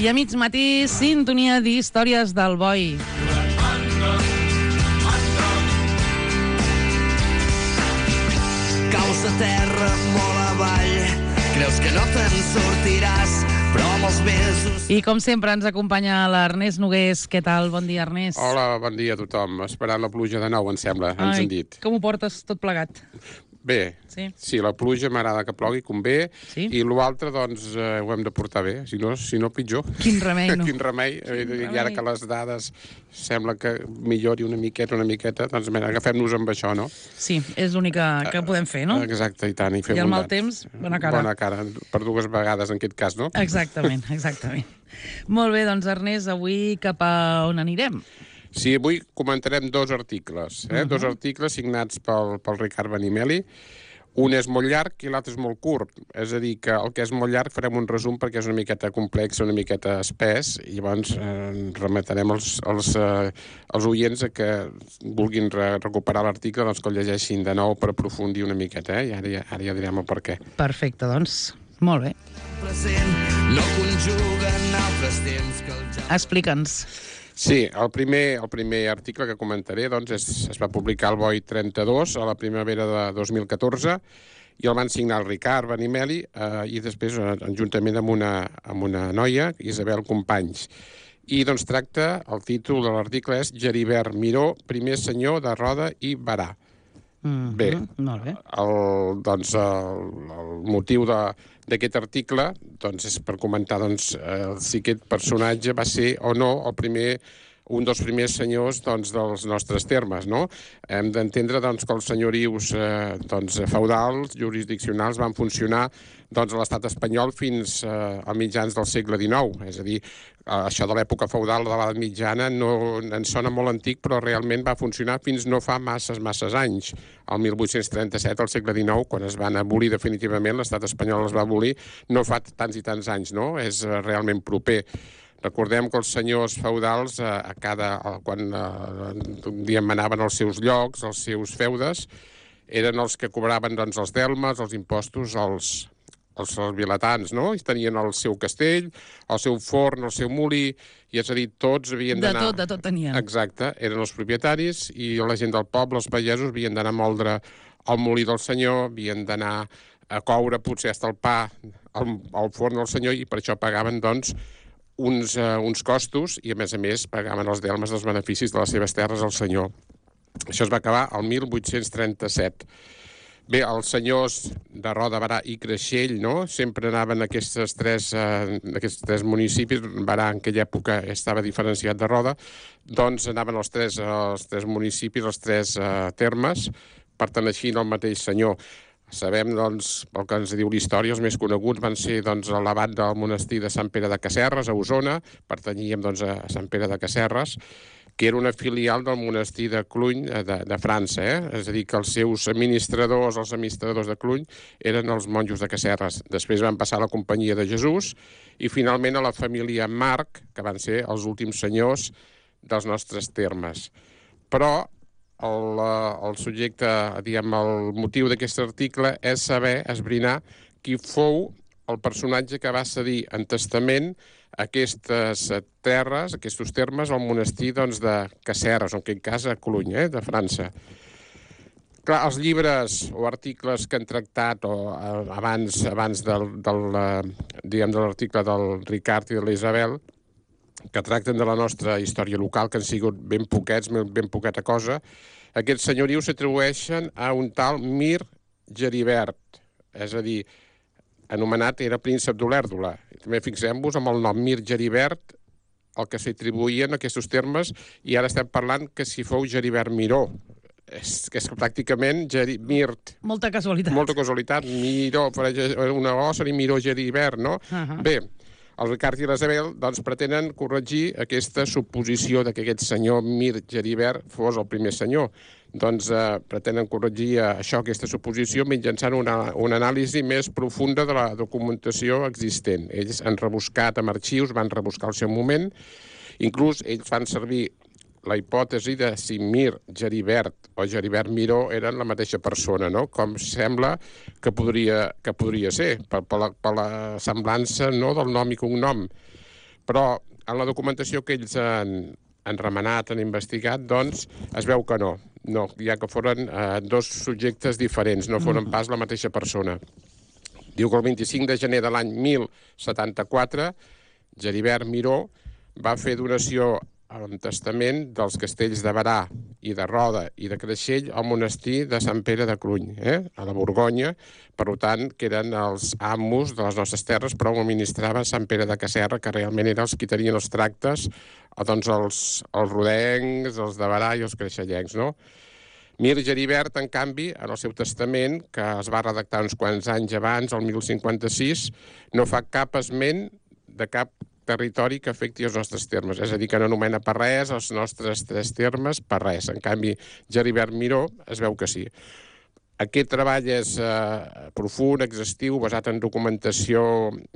I a mig matí, sintonia d'històries del boi. Caus a terra molt avall, creus que no te'n sortiràs, però amb els mesos... I com sempre ens acompanya l'Ernest Nogués. Què tal? Bon dia, Ernest. Hola, bon dia a tothom. Esperant la pluja de nou, em sembla, ens han dit. Com ho portes tot plegat? Bé, sí, la pluja m'agrada que plogui, convé, sí? I l'altre, doncs, ho hem de portar bé, si no pitjor. Quin remei, no? Quin remei. I ara que les dades sembla que millori una miqueta, doncs agafem-nos amb això, no? Sí, és l'únic que podem fer, no? Exacte, i tant. I el mal temps, bona cara. Bona cara, per dues vegades en aquest cas, no? Exactament. Molt bé, doncs, Ernest, avui cap a on anirem? Sí, avui comentarem dos articles, dos articles signats pel Ricard Benimeli. Un és molt llarg i l'altre és molt curt. És a dir, que el que és molt llarg farem un resum perquè és una miqueta complex, una miqueta espès, i llavors remetrem els oients a que vulguin recuperar l'article, doncs que el llegeixin de nou per aprofundir una miqueta, i ara ja direm el per què. Perfecte, doncs, molt bé. No conjuguen altres temps que el ja... Explica'ns. Sí, el primer article que comentaré doncs, es va publicar al Boi 32 a la primavera de 2014 i el van signar el Ricard Benimeli i després juntament amb una noia, Isabel Companys. I doncs tracta, el títol de l'article és Geribert Miró, primer senyor de Roda i Berà. Bé, molt bé. El motiu d'aquest article doncs, és per comentar si aquest personatge va ser o no un dels primers senyors dels nostres termes, no? Hem d'entendre que els senyorius feudals, jurisdiccionals, van funcionar a l'estat espanyol fins a mitjans del segle XIX. És a dir, això de l'època feudal de l'edat mitjana no ens sona molt antic, però realment va funcionar fins no fa masses anys. El 1837, al segle XIX, quan es van abolir definitivament, l'estat espanyol es va abolir, no fa tants i tants anys, no? És realment proper. Recordem que els senyors feudals, quan un dia manaven els seus llocs, els seus feudes, eren els que cobraven els delmes, els impostos, els vilatans, no? I tenien el seu castell, el seu forn, el seu molí, i és a dir, tots havien d'anar... De tot tenien. Exacte, eren els propietaris i la gent del poble, els pagesos, havien d'anar a moldre el molí del senyor, havien d'anar a coure potser fins el pa al forn del senyor i per això pagaven, uns costos i, a més, pagaven els delmes dels beneficis de les seves terres al senyor. Això es va acabar el 1837. Bé, els senyors de Roda, Berà i Creixell, no?, sempre anaven a aquests tres municipis. Berà en aquella època estava diferenciat de Roda, doncs anaven els tres municipis, els tres termes, perteneixint al mateix senyor. Sabem, pel que ens diu la història, els més coneguts van ser l'abat del monestir de Sant Pere de Casserres, a Osona, pertanyíem a Sant Pere de Casserres, que era una filial del monestir de Cluny de França. És a dir, que els seus administradors de Cluny eren els monjos de Casserres. Després van passar a la Companyia de Jesús i finalment a la família Marc, que van ser els últims senyors dels nostres termes. Però el subjecte, el motiu d'aquest article és saber, esbrinar, qui fou el personatge que va cedir en testament aquestes terres, aquests termes, al monestir de Casserres, en aquest cas a Cluny, de França. Clar, els llibres o articles que han tractat abans de l'article del Ricard i de l'Isabel, que tracten de la nostra història local, que han sigut ben poqueta cosa, aquests senyorius s'atribueixen a un tal Mir Geribert, és a dir, anomenat era príncep d'Olèrdola. També fixem-vos amb el nom Mir Geribert, el que s'atribuïen aquests termes, i ara estem parlant que si fou Geribert Miró. És pràcticament Mirt. Molta casualitat. Molta casualitat. Miró, una O seria Miró Geribert, no? Bé, el Ricard i l'Isabel pretenen corregir aquesta suposició que aquest senyor Mir Geribert fos el primer senyor. Pretenen corregir aquesta suposició mitjançant una anàlisi més profunda de la documentació existent. Ells han rebuscat amb arxius, van rebuscar al seu moment, inclús ells fan servir la hipòtesi de si Mir Geribert o Geribert Miró eren la mateixa persona, no? Com sembla que podria ser, per la semblança, no?, del nom i cognom. Però en la documentació que ells han remenat, han investigat, doncs es veu que no, ja que foren dos subjectes diferents, no foren pas la mateixa persona. Diu que el 25 de gener de l'any 1074, Geribert Miró va fer donació en testament dels castells de Berà i de Roda i de Creixell al monestir de Sant Pere de Cluny, a la Borgonya, per tant, que eren els amos de les nostres terres, però ho administrava Sant Pere de Caserra, que realment eren els que tenien els tractes, doncs els rodencs, els de Berà i els creixellencs, no? Mir Geribert, en canvi, en el seu testament, que es va redactar uns quants anys abans, el 1056, no fa cap esment de cap territori que afecti els nostres termes. És a dir, que no anomena per res els nostres 3 termes per res. En canvi, Geribert Miró es veu que sí. Aquest treball és profund, exhaustiu, basat en documentació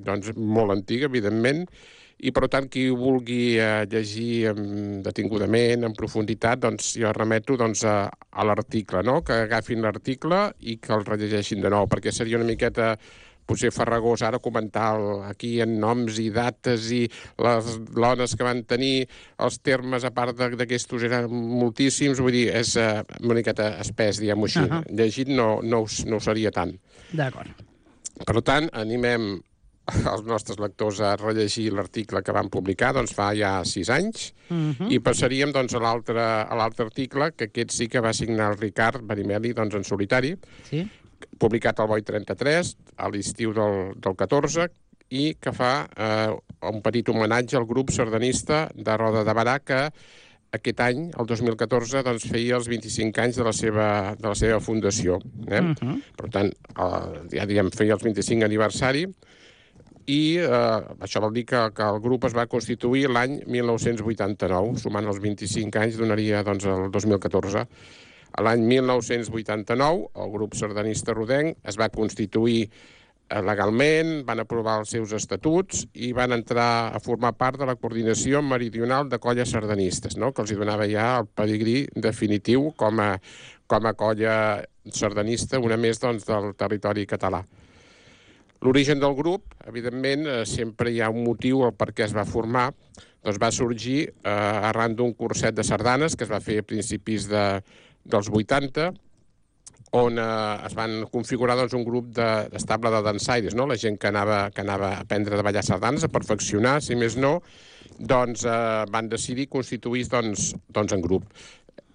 doncs, molt antiga, evidentment, i per tant, qui vulgui llegir detingudament, en profunditat, doncs jo remeto doncs, a l'article, no? Que agafin l'article i que el rellegeixin de nou, perquè seria una miqueta potser farragós ara comentar aquí en noms i dates i les dones que van tenir els termes, a part d'aquestos eren moltíssims, vull dir, és una miqueta espès, diguem-ho així. Llegit no ho seria tant. D'acord. Per tant, animem els nostres lectors a rellegir l'article que van publicar, doncs fa ja 6 anys, i passaríem doncs, a l'altre article, que aquest sí que va signar el Ricard Benimeli doncs, en solitari, publicat al Boi 33, a l'estiu del 14, i que fa un petit homenatge al grup sardanista de Roda de Berà, que aquest any, el 2014, doncs, feia els 25 anys de la seva fundació. Per tant, ja diem, feia els 25 aniversari, i això vol dir que el grup es va constituir l'any 1989, sumant els 25 anys donaria doncs, el 2014. A l'any 1989, el grup sardanista rodenc es va constituir legalment, van aprovar els seus estatuts i van entrar a formar part de la coordinació meridional de colles sardanistes, no? Que els donava ja el pedigrí definitiu com a colla sardanista, una més doncs, del territori català. L'origen del grup, evidentment, sempre hi ha un motiu el per què es va formar. Doncs va sorgir arran d'un curset de sardanes que es va fer a principis dels 80, on es van configurar doncs, un grup estable de dansaires, no? La gent que anava a aprendre a ballar sardanes, a perfeccionar, si més no, doncs van decidir constituir doncs, en grup.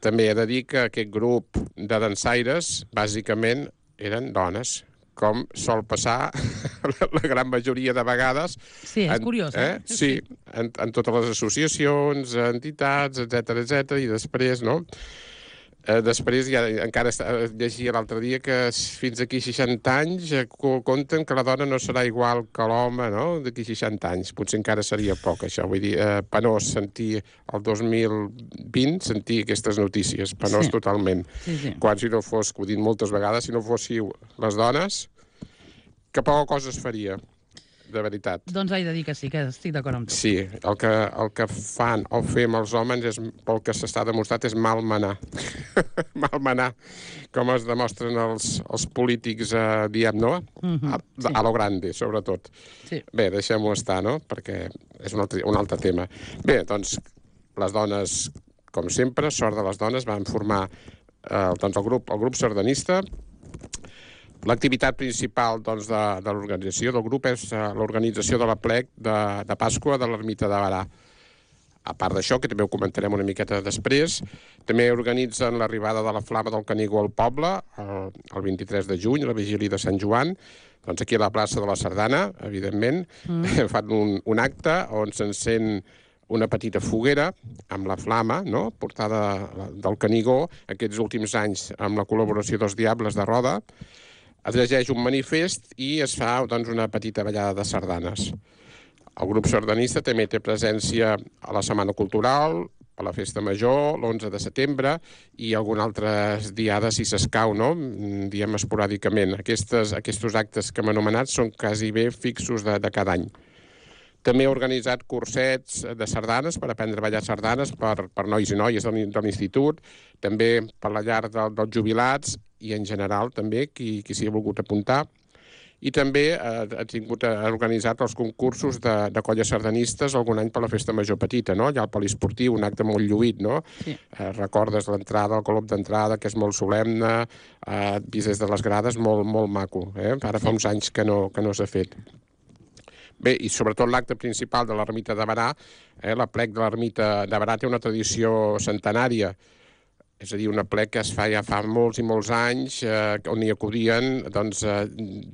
També he de dir que aquest grup de dansaires, bàsicament, eren dones, com sol passar la gran majoria de vegades. Sí, és curiós, Sí, en totes les associacions, entitats, etc, i després, no? Després ja encara llegia l'altre dia que fins aquí 60 anys compten que la dona no serà igual que l'home, no? D'aquí 60 anys. Potser encara seria poc, això. Vull dir, penós sentir el 2020, sentir aquestes notícies. Penós totalment. Sí. Quan si no fos, que ho he dit moltes vegades, si no fóssiu les dones, que poca cosa es faria. De veritat. Doncs he de dir que sí, que estic d'acord amb tu. Sí, el que fan o fem els homes, pel que s'està demostrat, és malmenar. Malmenar, com es demostren els polítics, diem, no? A lo grande, sobretot. Sí. Bé, deixem-ho estar, no? Perquè és un altre tema. Bé, doncs, les dones, com sempre, sort de les dones, van formar el grup sardanista. L'activitat principal doncs, de l'organització del grup és l'organització de l'aplec de Pasqua de l'ermita de Berà. A part d'això, que també ho comentarem una miqueta després, també organitzen l'arribada de la Flama del Canigó al poble el 23 de juny, la vigília de Sant Joan, doncs aquí a la plaça de la Sardana, evidentment, fan un acte on s'encén una petita foguera amb la flama, no?, portada del Canigó, aquests últims anys amb la col·laboració dels Diables de Roda. Es llegeix un manifest i es fa doncs, una petita ballada de sardanes. El grup sardanista també té presència a la Setmana Cultural, a la Festa Major, l'11 de setembre, i alguna altres diades, si s'escau, no?, diem esporàdicament. Aquests actes que hem anomenat són quasi bé fixos de cada any. També ha organitzat cursets de sardanes per aprendre a ballar sardanes per nois i noies de l'institut, també per la llar dels jubilats i en general també qui s'hi ha volgut apuntar. i també ha organitzat els concursos de colles sardanistes algun any per la Festa Major Petita, no? Allà al poliesportiu, un acte molt lluït, no? Sí. Recordes l'entrada, el colop d'entrada, que és molt solemne, vist des de les grades, molt, molt maco. Ara fa uns anys que no s'ha fet. Bé, i sobretot l'acte principal de l'ermita de Berà, l'aplec de l'ermita de Berà té una tradició centenària, és a dir, un aplec que es fa ja fa molts i molts anys, on hi acudien doncs,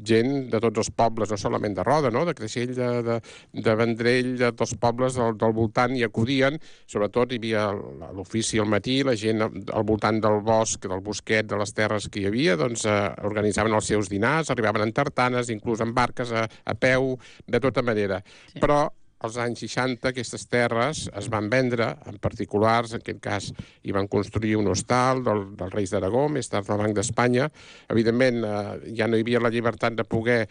gent de tots els pobles, no solament de Roda, no? De Creixell, de Vendrell, de tots els pobles del voltant hi acudien, sobretot hi havia l'ofici al matí, la gent al voltant del bosc, del bosquet, de les terres que hi havia, doncs organitzaven els seus dinars, arribaven en tartanes, inclús en barques, a peu, de tota manera. Sí. Però als anys 60 aquestes terres es van vendre, en particulars, en aquest cas hi van construir un hostal dels Reis d'Aragó, més tard del Banc d'Espanya. Evidentment, ja no hi havia la llibertat de poder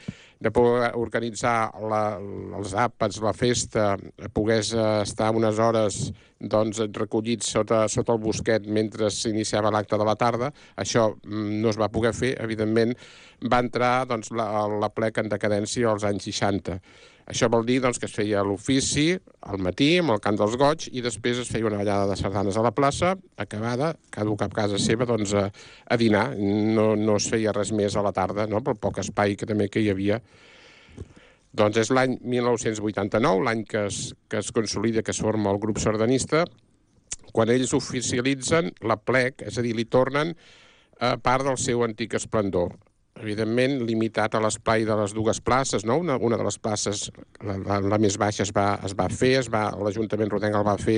organitzar els àpats, la festa, pogués estar unes hores doncs, recollits sota el bosquet mentre s'iniciava l'acte de la tarda. Això no es va poder fer. Evidentment, va entrar doncs, l'aplec en decadència als anys 60. Això vol dir doncs, que es feia l'ofici al matí, amb el cant dels goig, i després es feia una ballada de sardanes a la plaça, acabada, cada cap a casa seva, doncs, a dinar. No es feia res més a la tarda, no?, pel poc espai que també hi havia. Doncs és l'any 1989, l'any que es consolida, que es forma el grup sardanista, quan ells oficialitzen l'aplec, és a dir, li tornen part del seu antic esplendor. Evidentment, limitat a l'espai de les dues places, no? Una de les places, la més baixa, es va fer, l'Ajuntament rodenc el va fer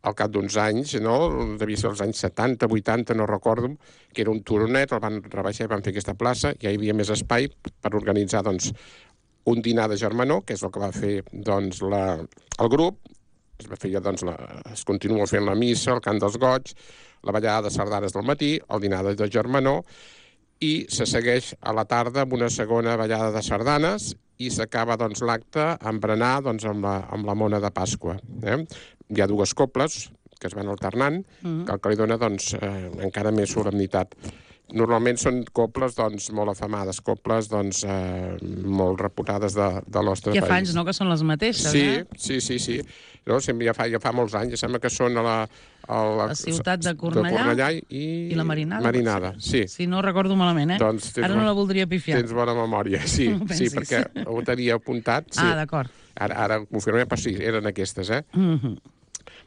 al cap d'uns anys, no? Devia ser als anys 70, 80, no recordo, que era un turonet, el van rebaixar i van fer aquesta plaça, ja hi havia més espai per organitzar, doncs, un dinar de germanor, que és el que va fer, doncs, el grup. Es continua fent la missa, el cant dels goig, la ballada de sardanes del matí, el dinar de germanor, i se segueix a la tarda amb una segona ballada de sardanes i s'acaba doncs, l'acte amb berenar doncs, amb la mona de Pasqua. Hi ha dues cobles que es van alternant, que el que li dona doncs, encara més solemnitat. Normalment són cobles doncs, molt afamades, cobles doncs, molt reputades del nostre país. Ja fa anys, no?, que són les mateixes, Sí. No? Ja fa molts anys, sembla que són a la ciutat de Cornellà i la Marinada. Sí. Si no recordo malament, doncs ara no la voldria pifiar. Tens bona memòria, sí, perquè ho tenia apuntat. Sí. D'acord. Ara ho confirmem, però sí, eren aquestes,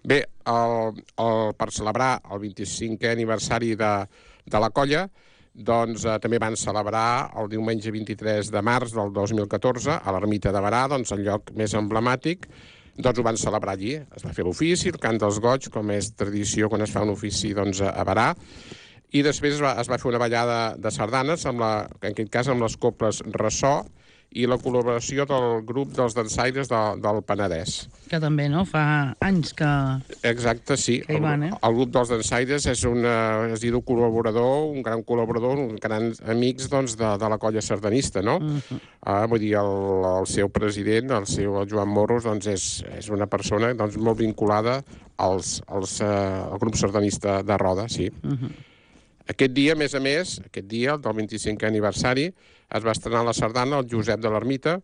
Bé, per celebrar el 25è aniversari de la colla, doncs també van celebrar el diumenge 23 de març del 2014 a l'ermita de Berà, doncs el lloc més emblemàtic, doncs ho van celebrar allí. Es va fer l'ofici, el cant dels goig, com és tradició quan es fa un ofici doncs, a Berà, i després es va fer una ballada de sardanes, en aquest cas amb les coples Ressò, i la col·laboració del grup dels dansaires del Penedès. Que també, no?, fa anys que... Exacte, sí. Que hi van, El grup dels dansaires és diu col·laborador, un gran col·laborador, un gran amics doncs, de la colla sardanista, no? Vull dir, el seu president, el Joan Morros, doncs, és una persona doncs, molt vinculada al grup sardanista de Roda, sí. Aquest dia, a més, aquest dia, del 25è aniversari, es va estrenar la sardana el Josep de l'Ermita,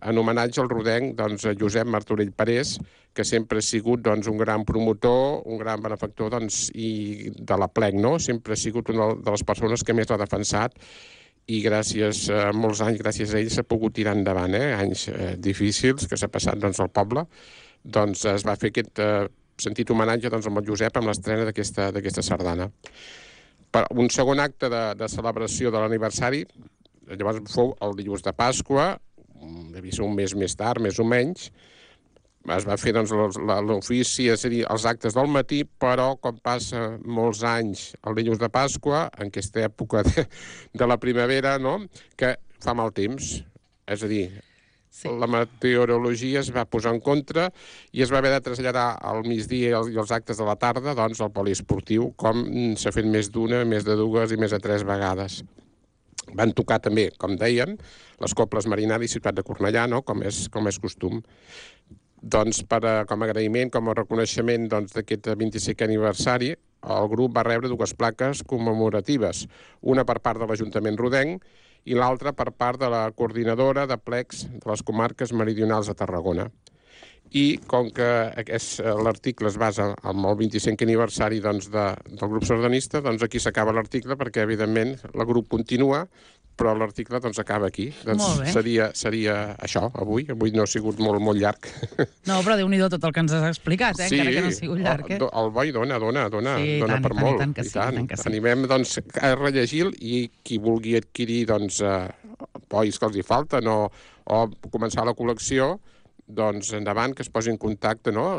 en homenatge al rodenc doncs, Josep Martorell Parés, que sempre ha sigut doncs, un gran promotor, un gran benefactor doncs, i de l'aplec, no? Sempre ha sigut una de les persones que més l'ha defensat i gràcies a molts anys, gràcies a ell, s'ha pogut tirar endavant, anys difícils que s'ha passat doncs, al poble. Doncs es va fer aquest sentit homenatge doncs, amb el Josep amb l'estrena d'aquesta sardana. Un segon acte de celebració de l'aniversari, llavors fou el dilluns de Pasqua, devia ser un mes més tard, més o menys, es va fer doncs, l'ofici, és a dir, els actes del matí, però com passa molts anys el dilluns de Pasqua, en aquesta època de la primavera, no?, que fa mal temps, és a dir, la meteorologia es va posar en contra i es va haver de traslladar al migdia i els actes de la tarda doncs, al poliesportiu, com s'ha fet més d'una, més de dues i més de 3 vegades. Van tocar també, com deien, les coples Marinada i Ciutat de Cornellà, no?, com és costum. Doncs com a agraïment, com a reconeixement d'aquest 25è aniversari, el grup va rebre 2 plaques commemoratives, una per part de l'Ajuntament rodenc i l'altra per part de la coordinadora de plecs de les comarques meridionals de Tarragona. I com que l'article es basa en el 25è aniversari del grup sardanista, doncs aquí s'acaba l'article perquè, evidentment, el grup continua, però l'article acaba aquí. Doncs seria això, avui. Avui no ha sigut molt llarg. No, però Déu-n'hi-do tot el que ens has explicat, encara que no ha sigut llarg. El boi dona per molt. Tant que sí. Animem a rellegir i qui vulgui adquirir bois que els hi falten o començar la col·lecció, doncs endavant, que es posi en contacte, no?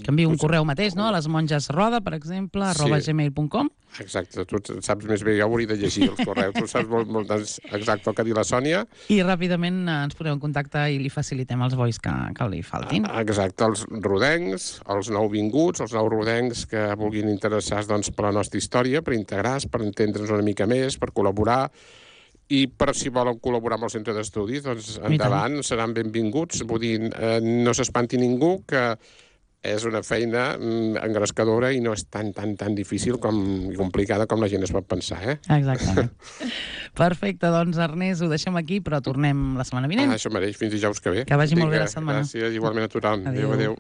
Que enviï un correu mateix, no? A les monges roda, per exemple, @gmail.com. Exacte, tu saps més bé, jo hauria de llegir els correus, tu saps molt exacte el que ha dit la Sònia. I ràpidament ens posem en contacte i li facilitem els bois que li faltin. Exacte, els rodencs, els nouvinguts, els nous rodencs que vulguin interessar per la nostra història, per integrar-se, per entendre'ns una mica més, per col·laborar. I per si volen col·laborar amb el centre d'estudis, doncs endavant, seran benvinguts. Vull dir, no s'espanti ningú, que és una feina engrescadora i no és tan difícil i complicada com la gent es pot pensar, Exactament. Perfecte, doncs Ernest, ho deixem aquí, però tornem la setmana vinent. Això mereix, fins dijous que ve. Que vagi molt bé la setmana. Gràcies, igualment a tothom. Adéu.